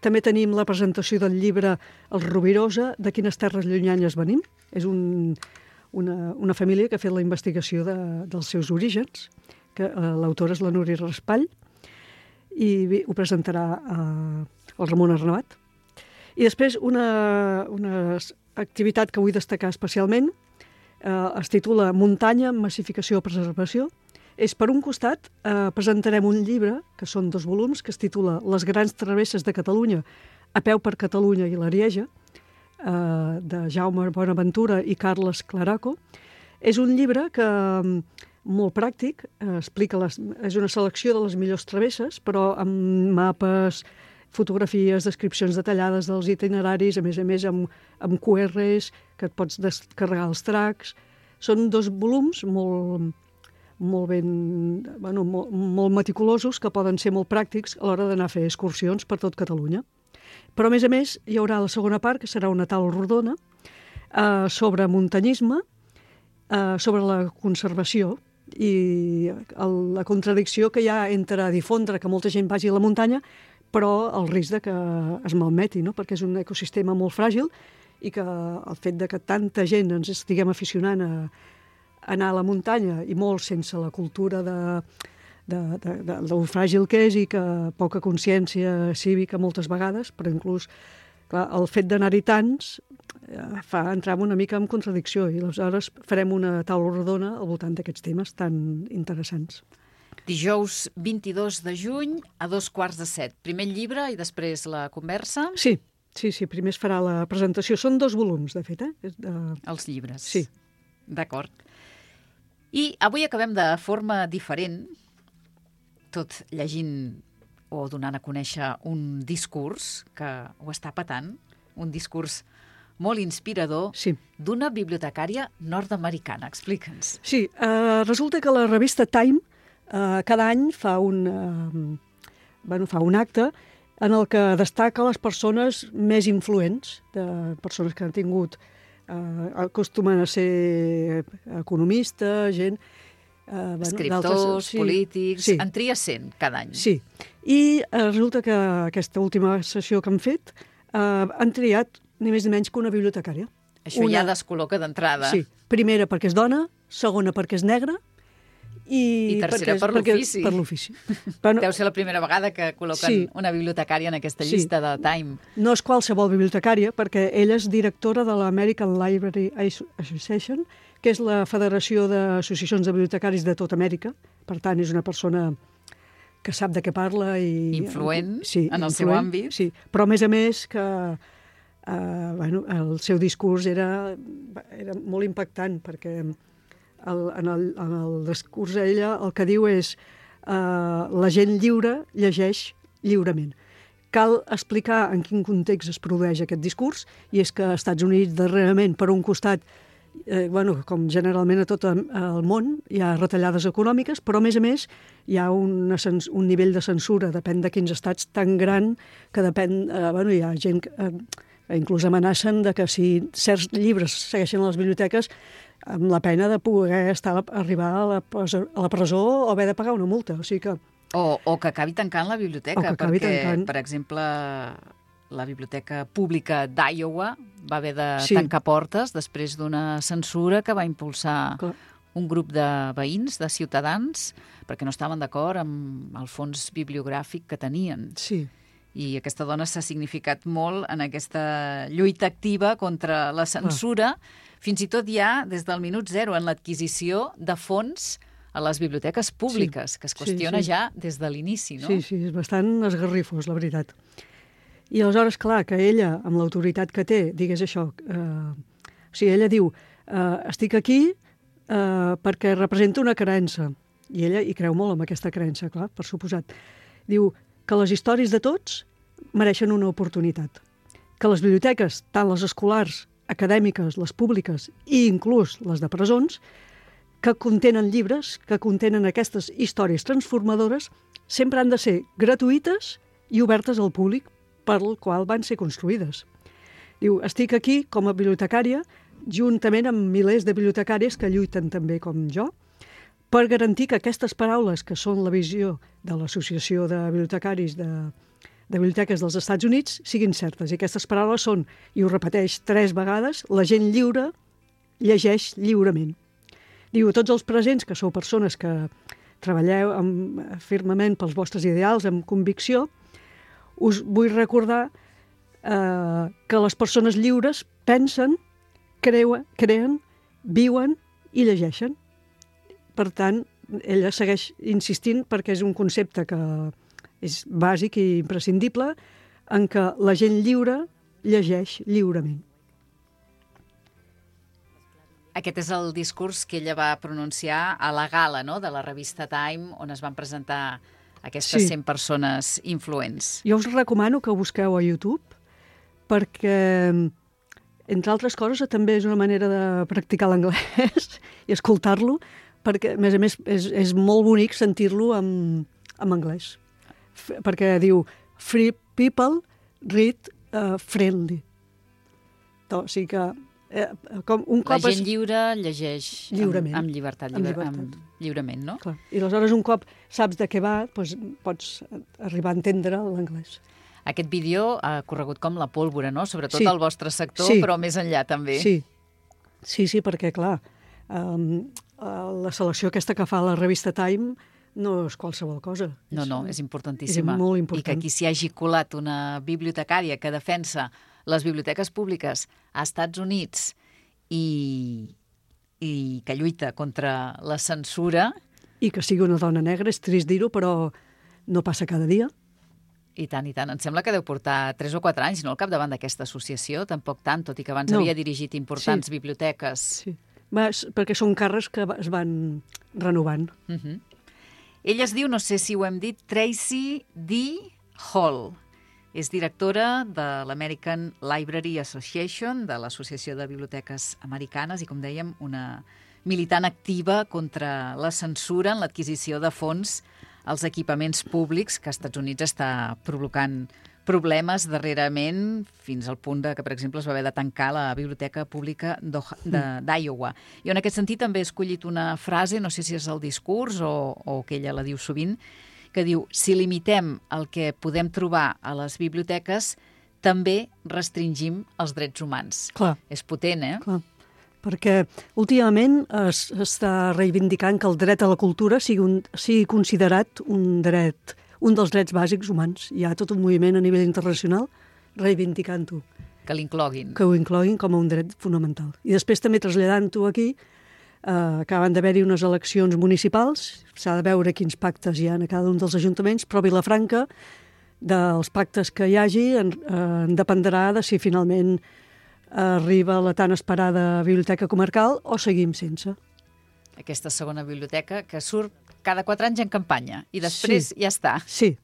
També tenim la presentació del llibre El Rovirosa, de quines terres llunyanyes venim. És una família que ha fet la investigació dels seus orígens, que l'autora és la Núria Raspall, i ho presentarà el Ramon Arnabat. I després una activitat que vull destacar especialment es titula Muntanya, massificació o preservació. És, per un costat, presentarem un llibre, que són 2 volums, que es titula Les grans travesses de Catalunya, a peu per Catalunya i l'Arieja, de Jaume Bonaventura i Carles Claraco. És un llibre que molt pràctic, és una selecció de les millors travesses, però amb mapes, fotografies, descripcions detallades dels itineraris, a més amb QRs, que et pots descarregar els tracks. Són 2 volums molt meticulosos, que poden ser molt pràctics a l'hora d'anar a fer excursions per tot Catalunya. Però, a més, hi haurà la segona part, que serà una taula rodona, sobre muntanyisme, sobre la conservació i la contradicció que hi ha entre difondre que molta gent vagi a la muntanya, però el risc de que es malmeti, no? Perquè és un ecosistema molt fràgil i que el fet de que tanta gent ens estiguem aficionant a anar a la muntanya, i molt sense la cultura del fràgil que és i que poca consciència cívica moltes vegades, però inclús clar, el fet d'anar-hi tants fa entrar una mica en contradicció, i aleshores farem una taula rodona al voltant d'aquests temes tan interessants. Dijous 22 de juny a 6:45. Primer el llibre i després la conversa? Sí, primer es farà la presentació. Són 2 volums, de fet, Els llibres. Sí. D'acord. I avui acabem de forma diferent, tot llegint o donant a conèixer un discurs que ho està patant, un discurs molt inspirador, sí, d'una bibliotecària nord-americana. Explica'ns. Sí, resulta que la revista Time cada any fa un acte en el que destaca les persones més influents, de persones que han tingut, acostumen a ser economistes, gent, Escriptors, polítics... Sí. En tria 100 cada any. Sí. I resulta que aquesta última sessió que han fet han triat ni més ni menys que una bibliotecària. Això ja descol·loca d'entrada. Sí. Primera perquè és dona, segona perquè és negra i tercera per l'ofici. Per l'ofici. Deu ser la primera vegada que col·loquen una bibliotecària en aquesta llista de Time. No és qualsevol bibliotecària, perquè ella és directora de l'American Library Association, que és la federació d'associacions de bibliotecaris de tota Amèrica. Per tant, és una persona que sap de què parla i... Influent en el seu àmbit. Sí, però a més que el seu discurs era molt impactant, perquè en el discurs ella el que diu és la gent lliure llegeix lliurement. Cal explicar en quin context es produeix aquest discurs, i és que als Estats Units, darrerament, per un costat, com generalment a tot el món, hi ha retallades econòmiques, però a més hi ha un nivell de censura, depèn de quins estats, tan gran que depèn... hi ha gent que inclús amenacen de que si certs llibres segueixen a les biblioteques amb la pena de poder arribar a la presó o haver de pagar una multa. O sigui que... O que acabi tancant la biblioteca, perquè, per exemple, la Biblioteca Pública d'Iowa va haver de tancar portes després d'una censura que va impulsar un grup de veïns, de ciutadans, perquè no estaven d'acord amb el fons bibliogràfic que tenien. Sí. I aquesta dona s'ha significat molt en aquesta lluita activa contra la censura, fins i tot ja des del minut zero en l'adquisició de fons a les biblioteques públiques, que es qüestiona ja des de l'inici, no? Sí, és bastant esgarrifós, la veritat. I aleshores, clar, que ella, amb l'autoritat que té, digués això, ella diu, estic aquí perquè representa una creença, i ella hi creu molt en aquesta creença, clar, per suposat. Diu que les històries de tots mereixen una oportunitat, que les biblioteques, tant les escolars, acadèmiques, les públiques i inclús les de presons, que contenen llibres, que contenen aquestes històries transformadores, sempre han de ser gratuïtes i obertes al públic per al qual van ser construïdes. Diu, estic aquí com a bibliotecària, juntament amb milers de bibliotecàries que lluiten també com jo, per garantir que aquestes paraules, que són la visió de l'Associació de Bibliotecaris de Biblioteques dels Estats Units, siguin certes. I aquestes paraules són, i ho repeteix 3 vegades, la gent lliure llegeix lliurement. Diu, a tots els presents, que sou persones que treballeu firmament pels vostres ideals, amb convicció, us vull recordar que les persones lliures pensen, creen, viuen i llegeixen. Per tant, ella segueix insistint perquè és un concepte que és bàsic i imprescindible en què la gent lliure llegeix lliurement. Aquest és el discurs que ella va pronunciar a la gala, no?, de la revista Time, on es van presentar aquestes 100 persones influents. Jo us recomano que ho busqueu a YouTube perquè, entre altres coses, també és una manera de practicar l'anglès i escoltar-lo, perquè, a més, és molt bonic sentir-lo en anglès. Perquè diu, free people read friendly. O sigui que com un cop... La gent lliure llegeix lliurement. Amb llibertat, lliurement, no? Clar. I aleshores un cop saps de què va, doncs pots arribar a entendre l'anglès. Aquest vídeo ha corregut com la pólvora, no? Sobretot al vostre sector, però més enllà també. Sí, perquè, clar, la selecció aquesta que fa la revista Time no és qualsevol cosa. No, és importantíssima. És molt important. I que aquí s'hi hagi colat una bibliotecària que defensa les biblioteques públiques a Estats Units i que lluita contra la censura... I que sigui una dona negra, és trist dir-ho, però no passa cada dia. I tant, i tant. Em sembla que deu portar 3 o 4 anys, no?, al capdavant d'aquesta associació, tampoc tant, tot i que abans havia dirigit importants biblioteques. Sí, perquè són càrrecs que es van renovant. Ella es diu, no sé si ho hem dit, Tracy D. Hall. És directora de l'American Library Association, de l'Associació de Biblioteques Americanes, i, com dèiem, una militant activa contra la censura en l'adquisició de fons als equipaments públics que als Estats Units està provocant problemes darrerament, fins al punt de que, per exemple, es va haver de tancar la Biblioteca Pública d'Iowa. Jo en aquest sentit també he escollit una frase, no sé si és el discurs o que ella la diu sovint, que diu: si limitem el que podem trobar a les biblioteques, també restringim els drets humans. Clar. És potent, eh? Clar. Perquè últimament està reivindicant que el dret a la cultura sigui considerat un dels drets bàsics humans. Hi ha tot un moviment a nivell internacional reivindicant-ho. Que l'incloguin. Que ho incloguin com a un dret fonamental. I després també traslladant-ho aquí, acaben d'haver-hi unes eleccions municipals, s'ha de veure quins pactes hi ha a cada un dels ajuntaments, però Vilafranca, dels pactes que hi hagi, en dependrà de si finalment arriba la tan esperada biblioteca comarcal o seguim sense. Aquesta segona biblioteca que surt cada 4 anys en campanya i després ja està. Sí,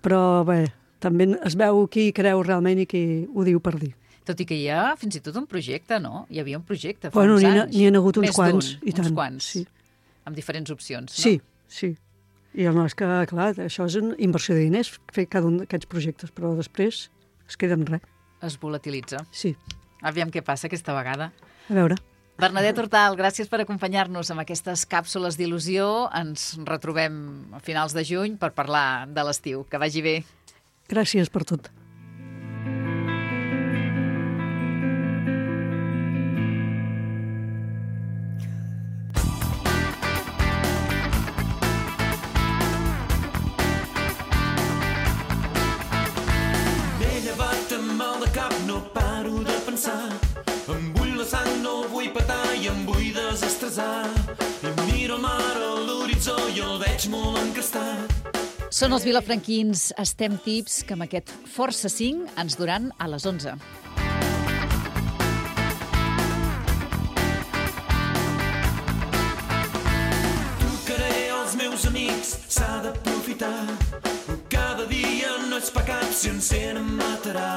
però bé, també es veu qui creu realment i qui ho diu per dir. Tot i que hi ha fins i tot un projecte, no? Hi havia un projecte fa bueno, uns anys. N'hi ha hagut uns quants, i tant. Uns quants, sí. Amb diferents opcions, no? Sí, sí. I no, és que, clar, això és una inversió de diners, fer cada un d'aquests projectes, però després es queda en res. Es volatilitza. Sí. Aviam què passa aquesta vegada. A veure. Bernadette Hortal, gràcies per acompanyar-nos amb aquestes càpsules d'il·lusió. Ens retrobem a finals de juny per parlar de l'estiu. Que vagi bé. Gràcies per tot. Són els vilafranquins Estem Tips, que amb aquest Força 5 ens duran a les 11. Trucaré als meus amics, s'ha d'aprofitar. Cada dia no és pecat si encén em matarà.